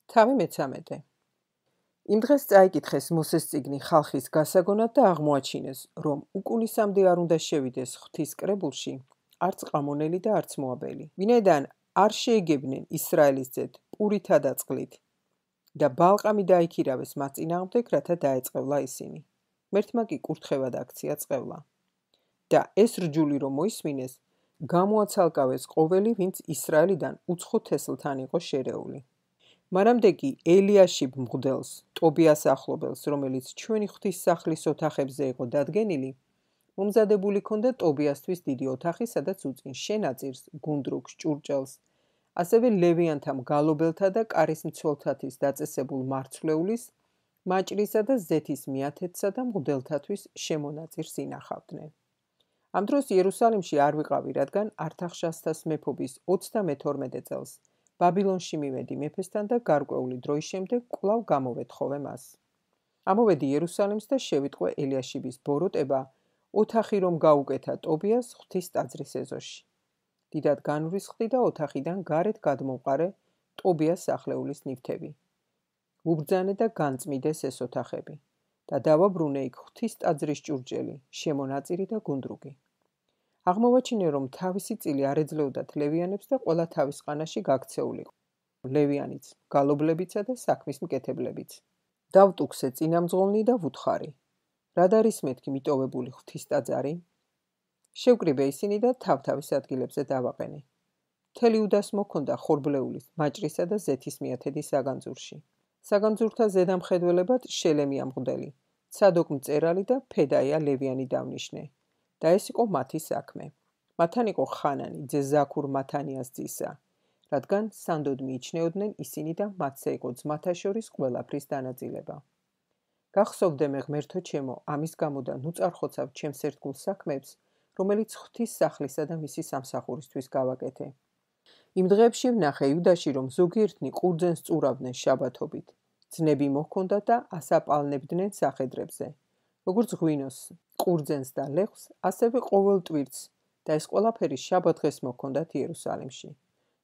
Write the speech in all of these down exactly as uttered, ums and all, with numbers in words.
თავი მეცამეტე. იმ დღეს წაიკითხეს მოსეს წიგნი ხალხის გასაგონად და აღმოაჩინეს, რომ უკუნისამდე არ უნდა შევიდეს ღვთის კრებულში არც ყამონელი და არც მოაბელი, ვინაიდან არ შეეგებნენ ისრაელის ძედ პურითა და წყლით და ბალყამი დაიქირავეს მას წინააღმდეგ, რათა დაეწყევლა ისინი. მერთმა კი კურთხევად აქცია წყევლა. და ეს რჯული რომ მოისმინეს, გამოაცალკავეს ყოველი, ვინც ისრაელიდან უცხო თესლთან იყო შერეული. მანამდე კი ელიაშიბ მღვდელს, ტობიას ახლობელს, რომელიც ჩვენი ღვთის სახლის ოთახებზე იყო დადგენილი, მომზადებული ჰქონდა ტობიასთვის დიდი ოთახი, სადაც უწინ შენაწირს, გუნდრუქს, ჭურჭელს, ასევე ლევიანთა მგალობელთა და კარის მცველთათვის დაწესებულ მარცვლეულის, მაჭრისა და ზეთის მიათეთსა და მღვდელთათვის შემონაწირს ინახავდნენ. ამ დროს იერუსალიმში არ ვიყავი, რადგან ართახშასთას მეფობის ოცდამეთორმეტე წელს ბაბილონში მივედი მეფესთან და გარკვეული დროის შემდეგ კვლავ გამოვეთხოვე მას. ამოვედი იერუსალიმს და შევიტყვე ელიაშიბის ბოროტება, ოთახი რომ გაუკეთა ტობიას ღვთის ტაძრის ეზოში. დიდად განვრისხდი და ოთახიდან გარეთ გადმოვყარე ტობიას სახლეულის ნივთები. უბრძანე და განწმიდეს ეს ოთახები და დავაბრუნე იქ ღვთის ტაძრის ჭურჭელი, შემონაწირი და გუნდრუგი. აღმოვაჩინე, რომ თავისი წილი არ ეძლეოდათ ლევიანებს და ყველა თავის ყანაში გაქცეულიყო. ლევიანიც, გალობლებიცა და საქმის მკეთებლებიც. დავტუქსე წინამძღოლნი და ვუთხარი. რად არის მეთქი მიტოვებული ღვთის ტაძარი? შევკრიბე ისინი და თავ-თავის ადგილებზე დავაყენე. მთელი უდას მოქონდა ხორბლეულის, მაჭრისა და ზეთის მიათედი საგანძურში. საგანძურთა ზედამხედველებად შელემია მღვდელი, ცადოკ მწერალი და ფედაია ლევიანი დავნიშნე. და ეს იყო მათი საქმე. მათთან იყო ხანანი, ძე ზაქურ მათანიას ძისა, რადგან სანდოდ მიიჩნეოდნენ ისინი და მათზე იყო ძმათა შორის ყველაფრის დანაწილება. გახსოვდე მე ღმერთო ჩემო, ამის გამო და ნუ წარხოცავ ჩემს ერთგულ საქმეებს, რომელიც ღვთის სახლისა და მისი სამსახურისთვის გავაკეთე. იმ დღეებში ვნახე იუდაში, რომ ზოგიერთნი ყურძენს წურავდნენ შაბათობით. ძნები მოჰქონდათ და ასაპალნებდნენ სახედრებზე. როგორც ღვინოს, ყურძენს და ლეხს, ასევე ყოველ ტვირთს და ეს ყველაფერი შაბათ დღეს მოჰქონდათ იერუსალიმში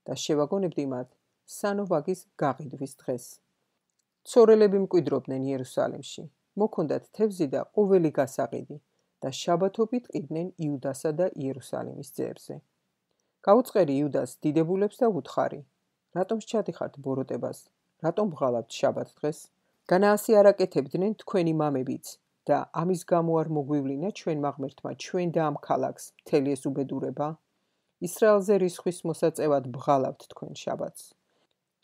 და შევაგონებდი მათ სანოვაგის გაყიდვის დღეს. ცორელები მკვიდრობდნენ იერუსალიმში, მოჰქონდათ თევზი და ყოველი გასაყიდი და შაბათობით ყიდნენ იუდასა და იერუსალიმის ძეებზე. გაუწყერი იუდას დიდებულებს და ვუთხარი, რატომ სჩადიხართ ბოროტებას, რატომ ბღალავთ შაბათ დღეს? განა ასე არ აკეთებდნენ თქვენი მამებიც და ამის გამო არ მოგვივლინა ჩვენმა ღმერთმა ჩვენ და ამ ქალაქს მთელი ეს უბედურება? ისრაელზე რისხვის მოსაწევად ბღალავთ თქვენ შაბათს.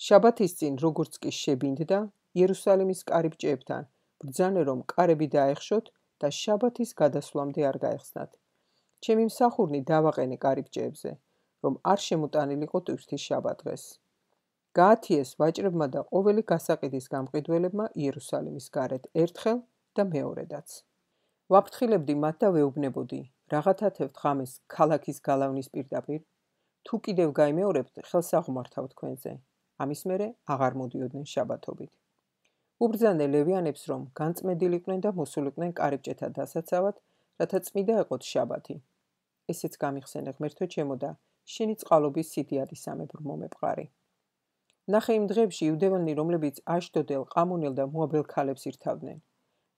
შაბათის წინ როგორც კი შებინდდა, იერუსალიმის კარიბჭეებთან ბრძანე, რომ კარები დაეხშოთ და შაბათის გადასვლამდე არ გაეხსნათ. ჩემი მსახურნი დავაყენე კარიბჭეებზე, რომ არ შემოტანილიყო ტვირთი შაბათ დღეს. გაათიეს ვაჭრებმა და ყოველი გასაყიდის გამყიდველებმა იერუსალიმის გარეთ ერთხელ და მეორედაც. ვაფრთხილებდი მათ და ვეუბნებოდი, რაღაცათევთ ღამეს ქალაქის გალავნის პირდაპირ, თუ კიდევ გაიმეორებთ, ხელს აღმართავ თქვენზე. ამის მერე აღარ მოდიოდნენ შაბათობით. უბრძანე ლევიანებს, რომ განწმენდილიყვნენ და მოსულიყვნენ კარიბჭეთა დასაცავად, რათა წმიდა ეყოთ შაბათი. ესეც გამიხსენე ღმერთო ჩემო და შენი წყალობის სიდიადისამებრ მომეპყარი. ნახე იმ დღეებში იუდევანი, რომლებიც აშდოდელ, ყამონელ და მოაბელ ქალებს ირთავდნენ.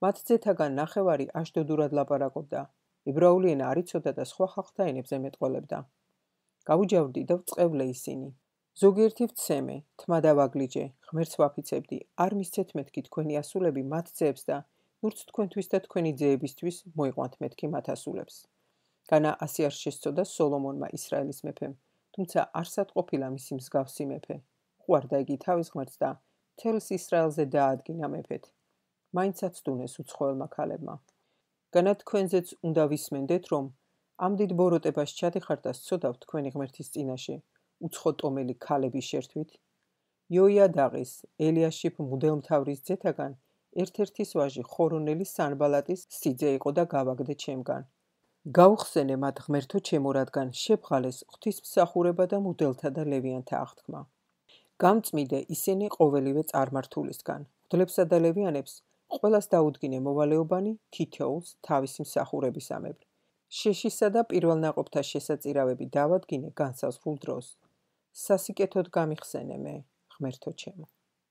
მათ ძეთაგან ნახევარი აშდოდურად ლაპარაკობდა, ებრაული ენა არ იცოდა და სხვა ხალხთა ენებზე მეტყველებდა. გაუჯავდი და ვწყევლე ისინი. ზოგიერთი ვცემე, თმა დავაგლიჯე, ღმერთს ვაფიცებდი, არ მისცეთ მეთქი თქვენი ასულები მათ ძეებს და ნურც თქვენთვის და თქვენი ძეებისთვის მოიყვანთ მეთქი მათ ასულებს. განა ასე არ შესწოდა სოლომონმა ისრაელის მეფემ, თუმცა არსად ყოფილა მისი მსგავსი მეფე. უყვარდა იგი თავის ღმერთს და მთელს ისრაელზე დაადგინა მეფედ. მაინცაც დუნეს უცხოელმა ქალებმა. განა თქვენზეც უნდა ვისმენდეთ, რომ ამ დიდ ბოროტებას ჩადიხართ და სცოდავთ თქვენი ღმერთის წინაშე, უცხო ტომელი ქალების შერთვით. იოიადაღის, ელიაშიბ მღვდელმთავრის ძეთაგან ერთ-ერთის ვაჟი ხორონელი სანბალატის სიძე იყო და გავაგდე ჩემგან. გაუხსენე მათ ღმერთო ჩემო, რადგან შებღალეს ღვთისმსახურება და მღვდელთა და ლევიანთა აღთქმა. გამწმიდე ისინი ყოველივე წარმართულისგან, მღვდლებსა და ლევიანებს ყველას დაუდგინე მოვალეობანი თითოეულს თავისი მსახურებისამებრ. შეშისა და პირველნაყოფთა შესაწირავები დავადგინე განსაზღვრულ დროს. სასიკეთოდ გამიხსენე მე, ღმერთო ჩემო.